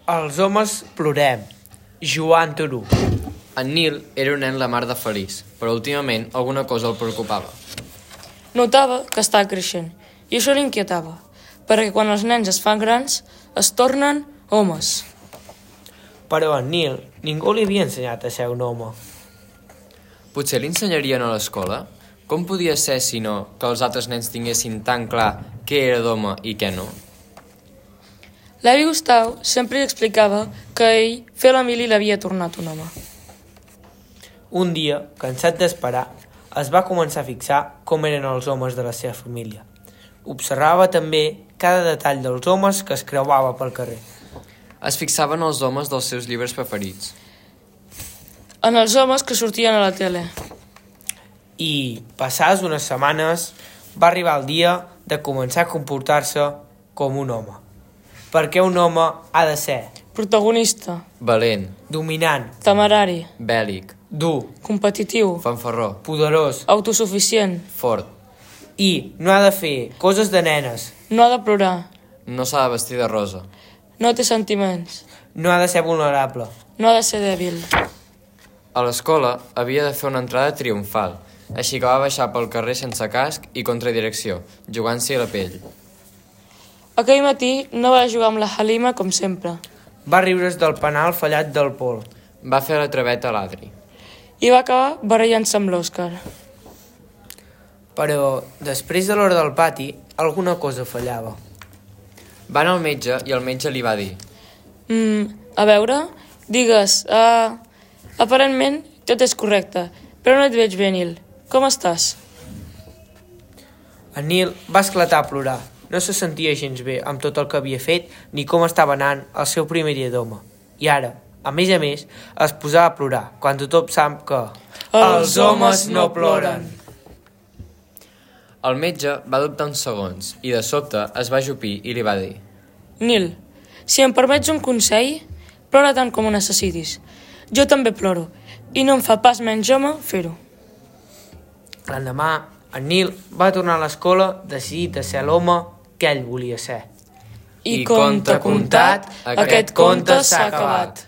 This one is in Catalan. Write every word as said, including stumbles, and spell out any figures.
Els homes plorem. Joan Turú. En Nil era un nen la mar de feliç, però últimament alguna cosa el preocupava. Notava que estava creixent, i això l'inquietava, perquè quan els nens es fan grans, es tornen homes. Però a en Nil ningú li havia ensenyat a ser un home. Potser li ensenyarien a l'escola? Com podia ser, si no, que els altres nens tinguessin tan clar què era d'home i què no? L'avi Gustau sempre li explicava que a ell fer la mili l'havia tornat un home. Un dia, cansat d'esperar, es va començar a fixar com eren els homes de la seva família. Observava també cada detall dels homes que es creuava pel carrer. Es fixaven els homes dels seus llibres preferits. En els homes que sortien a la tele. I, passades unes setmanes, va arribar el dia de començar a comportar-se com un home. Perquè un home ha de ser Protagonista, Valent, dominant, temerari, bèl·lic, dur, competitiu, fanfarró, poderós autosuficient, fort. i no ha de fer coses de nenes, no ha de plorar, No s'ha de vestir de rosa. no té sentiments, no ha de ser vulnerable. no ha de ser dèbil. A l'escola havia de fer una entrada triomfal, així que va baixar pel carrer sense casc i contra direcció, jugant-s'hi la pell. Aquell matí no va jugar amb la Halima com sempre Va riure's del penal fallat del Pol. Va fer la traveta a l'Adri. i va acabar barallant-se amb l'Òscar. Però, després de l'hora del pati, alguna cosa fallava. Va anar al metge i el metge li va dir: Mm, a veure, digues, uh, aparentment tot és correcte, però no et veig bé, Nil. Com estàs? En Nil va esclatar a plorar. No se sentia gens bé amb tot el que havia fet ni com estava anant el seu primer dia d'home. I ara, a més a més, es posava a plorar, quan tothom sap que Els homes no ploren. El metge va dubtar uns segons i de sobte es va ajupir i li va dir: Nil, si em permets un consell, plora tant com ho necessitis. Jo també ploro, i no em fa pas menys home fer-ho. L'endemà, en Nil va tornar a l'escola decidit a ser l'home que ell volia ser. I conte contat, aquest conte s'ha acabat.